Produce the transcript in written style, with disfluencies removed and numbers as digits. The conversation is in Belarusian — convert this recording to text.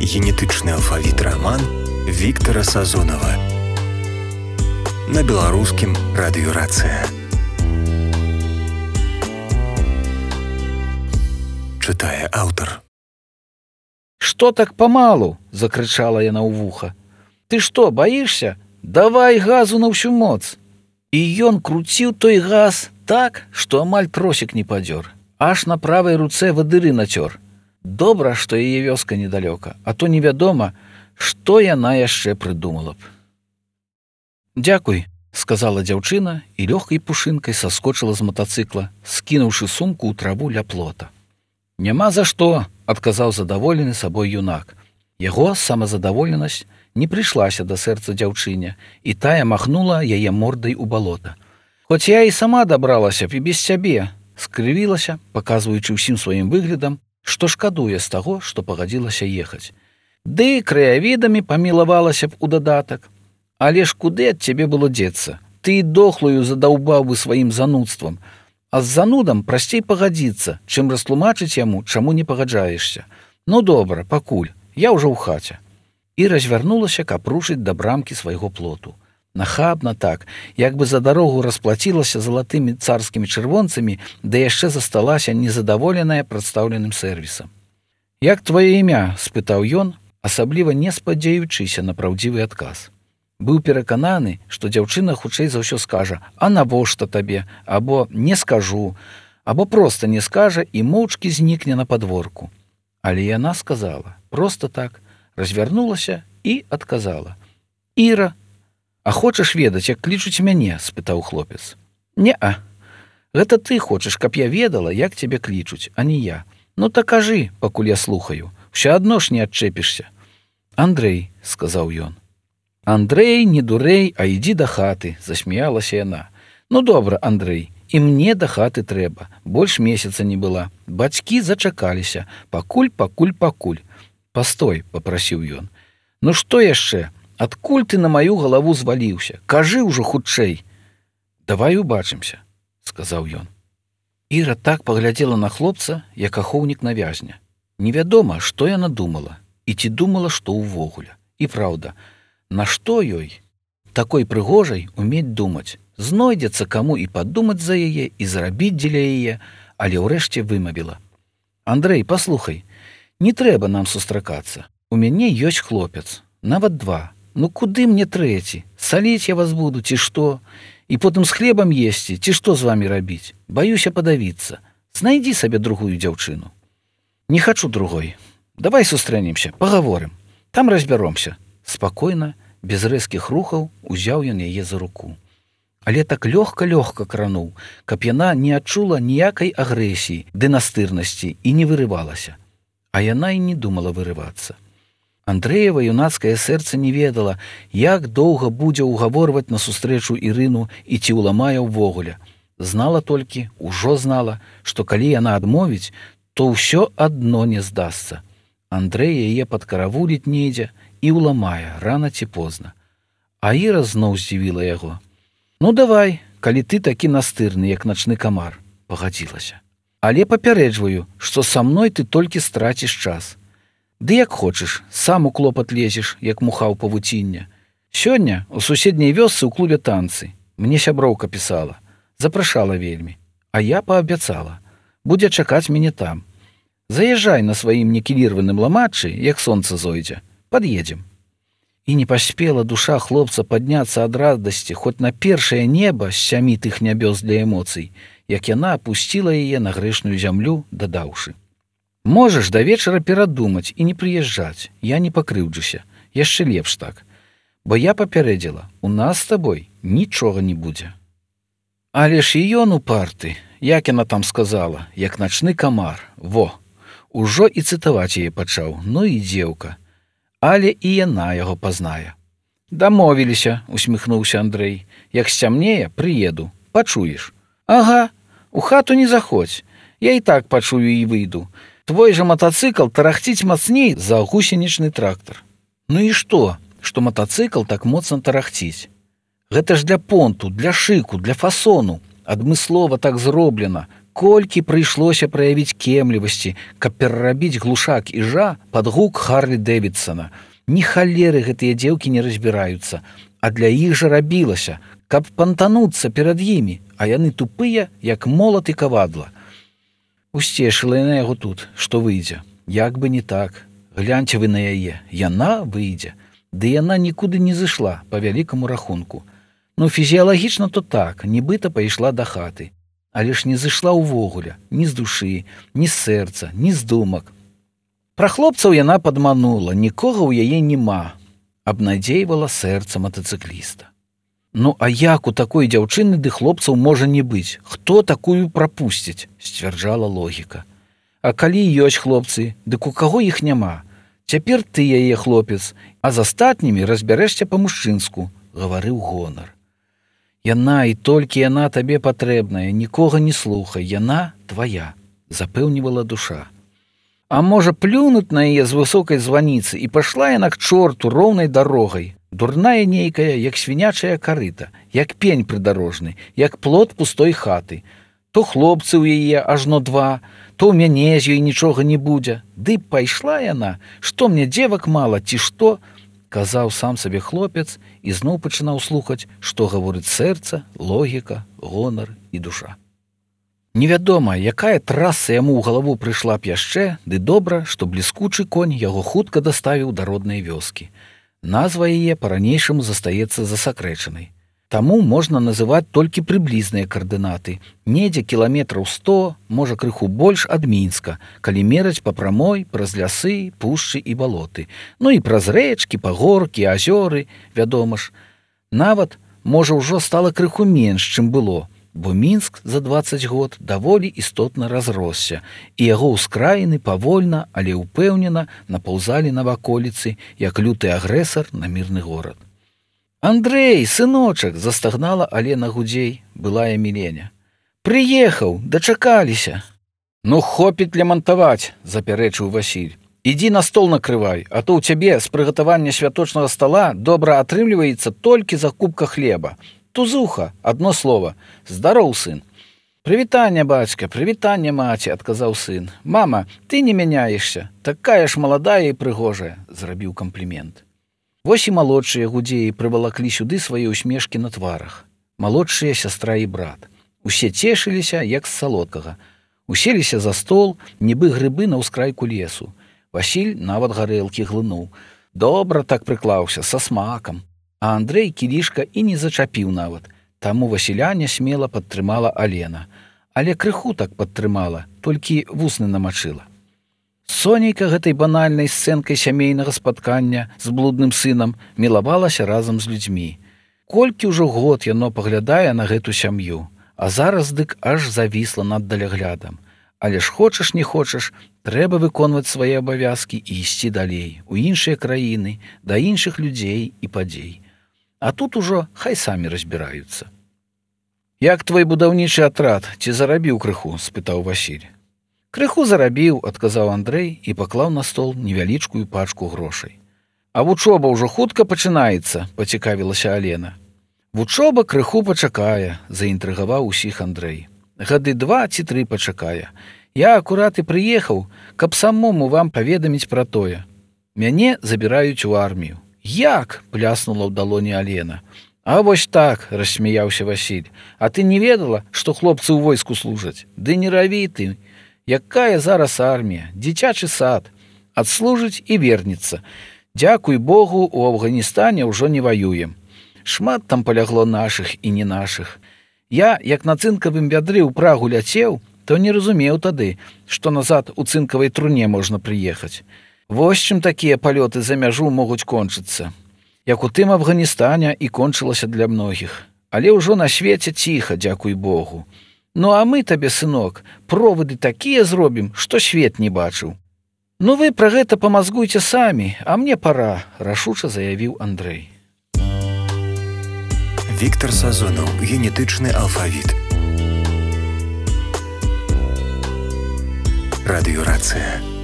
Генетычны алфавіт раман Віктара Сазонава на беларускім радыёрацыя. Чытае аўтар. «Што так памалу?» – закрычала яна ў вуха. «Ты што, баішся? Давай газу на ўсю моц!» І ён круціў той газ так, што амаль тросік не падзёр. Аж на правай руцэ вадыры нацёр. Добра, што яе вёска недалёка, а то невядома, што яна яшчэ прыдумала б. «Дзякуй», – сказала дзяўчына і лёгкай пушынкай саскочыла з матацыкла, скінуўшы сумку ў траву ля плота. «Няма за што», – адказаў задаволены сабой юнак. Яго самазадаволенасць не прыйшлася да сэрца дзяўчыне, і тая махнула яе мордай у балота. «Хоць я і сама дабралася б і без цябе», – скрывілася, паказваючы ўсім сваім выглядам, што шкадуе з таго, што пагадзілася ехаць. «Ды краявідамі памілавалася б у дадатак. Але ж куды ад цябе было дзецца? Ты і дохлую задаўбаў бы сваім занудствам. А з занудам прасцей пагадзіцца, чым растлумачыць яму, чаму не пагаджаешся. Ну добра, пакуль, я ўжо ў хаце». І развярнулася, каб рушыць да брамкі свайго плоту. Нахабна так, як бы за дарогу расплацілася залатымі царскімі чырвонцамі, да яшчэ засталася незадаволеная прадстаўленым сэрвісам. «Як твоё імя?» – спытаў ён, асабліва не спадзяючыся на праўдзівы адказ. Быў перакананы, што дзяўчына хутчэй за ўсё скажа «А навошта табе?» або «Не скажу», або проста не скажа і моўчкі знікне на падворку. Але яна сказала, проста так, развярнулася і адказала. «Іра, а хочаш ведаць, як клічуць мяне?» – спытаў хлопец. «Не-а. Гэта ты хочаш, каб я ведала, як цябе клічуць, а не я. Ну так кажы, пакуль я слухаю. Усё адно ж не адчэпішся». «Андрэй», – сказаў ён. «Андрэй, не дурэй, а ідзі да хаты», – засмяялася яна. «Ну добра, Андрэй, і мне да хаты трэба. Больш месяца не была. Бацькі зачакаліся. Пакуль. Пастой», – папрасіў ён. «Ну што яшчэ? Адкуль ты на маю галаву зваліўся? Кажы ўжо хутчэй». «Давай убачымся», – сказаў ён. Іра так паглядзела на хлопца, як ахоўнік на вязня. Невядома, што яна думала, і ці думала, што ўвогуле. І праўда, нашто ёй, такой прыгожай, умець думаць? Знойдзецца каму і падумаць за яе, і зрабіць дзеля яе, але ўрэшце вымавіла. «Андрэй, паслухай, не трэба нам сустракацца. У мяне ёсць хлопец, нават 2. Ну куды мне трэці? Саліць я вас буду, ці што? І потым з хлебам есці, ці што з вамі рабіць? Баюся падавіцца. Знайдзі сабе другую дзяўчыну». «Не хачу другой. Давай сустрэнемся, пагаворым. Там разбяромся». Спакойна, без рэзкіх рухаў, узяў ён яе за руку. Але так лёгка крануў, каб яна не адчула ніякай агрэсіі ды настырнасці і не вырывалася. А яна і не думала вырывацца. Андрэева юнацкае сэрца не ведала, як доўга будзе ўгаворваць на сустрэчу Ірыну і ці ўламае ўвогуле. Знала толькі, ужо знала, што калі яна адмовіць, то ўсё адно не здасца. Андрэй яе падкаравуліць недзе і ўламае рана ці позна. А Іра зноў здзівіла яго. «Ну давай, калі ты такі настырны, як начны камар», – пагадзілася. «Але папярэджваю, што са мной ты толькі страціш час. Ды як хочаш, сам у клопат лезеш, як муха ў павуцінне. Сёння у суседняй вёсцы ў клубе танцы. Мне сяброўка пісала. Запрашала вельмі. А я паабяцала. Будзе чакаць мяне там. Заязджай на сваім некілірваным ламачы, як сонца зойдзе. Пад'едзем». І не паспела душа хлопца падняцца ад радасці хоць на першае неба з 7 тых нябёс для эмоцый, як яна апусціла яе на грэшную зямлю, дадаўшы. «Можаш да вечара перадумаць і не прыязджаць. Я не пакрыўджуся. Яшчэ лепш так. Бо я папярэдзіла, у нас з табой нічога не будзе». Але ж і ён упарты, як яна там сказала, як начны камар. Во, ужо і цытаваць яе пачаў, ну і дзеўка. Але і яна яго пазнае. «Дамовіліся», – усміхнуўся Андрэй. «Як сцямнее, прыеду. Пачуеш». «Ага, у хату не заходзь. Я і так пачую і выйду. Твой жа матацыкл тарахціць мацней за гусенічны трактар». «Ну і што матацыкл так моцна тарахціць? Гэта ж для понту, для шыку, для фасону. Адмыслова так зроблена. колькі прыйшлося праявіць кемлівасці, каб перарабіць глушак іжа пад гук Харлі Дэвідсона. Ні халеры гэтыя дзеўкі не разбіраюцца, а для іх жа рабілася, каб пантануцца перад імі, а яны тупыя, як молат і кавадла. Усцешыла яна яго тут, што выйдзе. Як бы не так. Гляньце вы на яе, яна выйдзе. Ды яна нікуды не зышла, па вялікаму рахунку. Ну, фізіялагічна то так, нібыта пайшла да хаты. Але ж не зышла ўвогуле, ні з душы, ні з сэрца, ні з думак. Пра хлопцаў яна падманула, нікога ў яе няма, абнадзейвала сэрца матацыкліста. Ну, а як у такой дзяўчыны ды хлопцаў можа не быць? Хто такую прапусціць? Сцвярджала логіка. А калі ёсць хлопцы, дык у каго іх няма? Цяпер ты яе хлопец, а з астатнімі разбярэшся па-мужчынску, гаварыў гонар. Яна і толькі яна табе патрэбная, нікога не слухай, яна твая, запэўнівала душа. А можа плюнуць на яе з высокай званіцы і пайшла яна к чорту роўнай дарогай, дурная нейкая, як свінячая карыта, як пень прыдарожны, як плод пустой хаты. То хлопцы ў яе ажно два, то ў мяне з ёй нічога не будзе. Ды пайшла яна, што мне дзевак мала, ці што? Казаў сам сабе хлопец і зноў пачынаў слухаць, што гаворыць сэрца, логіка, гонар і душа. Невядома, якая траса яму ў галаву прыйшла б яшчэ, ды добра, што бліскучы конь яго хутка даставіў да роднай вёскі. Назва яе па-ранейшаму застаецца засакрэчанай. Таму можна называць толькі прыблізныя каардынаты. Недзе кіламетраў 100, можа крыху больш ад Мінска, калі мераць па прамой, праз лясы, пушчы і балоты. Ну і праз рэчкі, пагоркі, азёры, вядома ж. Нават, можа, ўжо стала крыху менш, чым было, бо Мінск за 20 год даволі істотна разросся, і яго ўскраіны павольна, але ўпэўнена напаўзалі на ваколіцы, як люты агрэсар на мірны горад. «Андрэй, сыночак!» – застагнала Алена Гудзей, былая Міленя. «Прыехаў, дачакаліся!» «Ну, хопіць лямантаваць!» – запярэчыў Васіль. «Ідзі на стол накрывай, а то ў цябе з прыгатавання святочнага стала добра атрымліваецца толькі закупка хлеба. Тузуха, адно слова. Здароў, сын!» «Прывітанне, бацька, прывітанне, маці!» – адказаў сын. «Мама, ты не мяняешся, такая ж маладая і прыгожая!» – зрабіў камплімент. Вось і малодшыя Гудзеі прывалаклі сюды свае ўсмешкі на тварах. Малодшыя сястра і брат. Усе цешыліся, як з салодкага. Уселіся за стол, нібы грыбы на ўскрайку лесу. Васіль нават гарэлкі глынуў. Добра так прыклаўся, са смакам. А Андрэй кілішка і не зачапіў нават. Таму Васіля нясмела падтрымала Алена. Але крыху так падтрымала, толькі вусны намачыла. Сонейка гэтай банальнай сцэнкай сямейнага спаткання з блудным сынам мілавалася разам з людзьмі. Колькі ўжо год яно паглядае на гэту сям'ю, а зараз дык аж завісла над даляглядам. Але ж хочаш не хочаш, трэба выконваць свае абавязкі і ісці далей, у іншыя краіны, да іншых людзей і падзей. А тут ужо хай самі разбіраюцца. «Як твой будаўнічы атрад, ці зарабіў крыху?» – спытаў Васіль. «Крыху зарабіў», – адказаў Андрэй і паклаў на стол невялічкую пачку грошай. «А вучоба ўжо хутка пачынаецца?» – пацікавілася Алена. «Вучоба крыху пачакае», – заінтрыгаваў усіх Андрэй. «Гады 2 ці 3 пачакае. Я акурат і прыехаў, каб самому вам паведаміць пра тое. Мяне забіраюць у армію». «Як?» – пляснула ў далоні Алена. «А вось так», – рассмяяўся Васіль. «А ты не ведала, што хлопцы ў войску служаць? Ды не раві ты! Якая зараз армія, дзіцячы сад, адслужыць і вернецца. Дзякуй Богу, у Афганістане ўжо не ваюем. Шмат там палягло нашых і не нашых. Я, як на цынкавым вядры ў Прагу ляцеў, то не разумеў тады, што назад у цынкавай труне можна прыехаць. Вось чым такія палёты за мяжу могуць кончыцца. Як у тым Афганістане і кончылася для многіх. Але ўжо на свеце ціха, дзякуй Богу. Ну, а мы табе, сынок, проводы такія зробім, што свет не бачыў. Ну, вы пра гэта памазгуйце самі, а мне пара», – рашуча заявіў Андрэй. Віктар Сазонаў, генетычны алфавіт. Радыёрацыя.